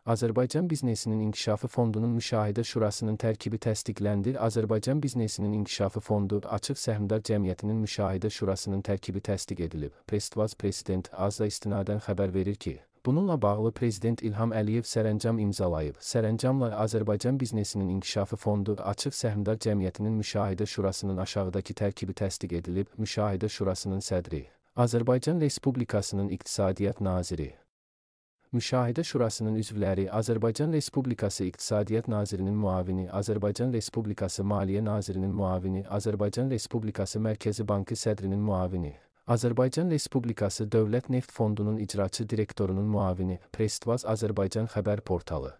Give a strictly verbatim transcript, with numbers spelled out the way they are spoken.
Azərbaycan Biznesinin İnkişafı Fondunun Müşahidə Şurasının tərkibi təsdiqləndi. Azərbaycan Biznesinin İnkişafı Fondu Açıq Səhmdar Cəmiyyətinin Müşahidə Şurasının tərkibi təsdiq edilib. Prestvaz Prezident Azza istinadən xəbər verir ki, bununla bağlı Prezident İlham Əliyev sərəncam imzalayıb. Sərəncamla Azərbaycan Biznesinin İnkişafı Fondu Açıq Səhmdar Cəmiyyətinin Müşahidə Şurasının aşağıdakı tərkibi təsdiq edilib. Müşahidə Şurasının sədri Azərbaycan Respublikasının İqtisadiyyat Naziri. Müşahidə Şurasının üzvləri Azərbaycan Respublikası İqtisadiyyat Nazirinin müavini, Azərbaycan Respublikası Maliyyə Nazirinin müavini, Azərbaycan Respublikası Mərkəzi Bankı sədrinin müavini, Azərbaycan Respublikası Dövlət Neft Fondunun icraçı direktorunun müavini. Prestvaz Azərbaycan xəbər portalı.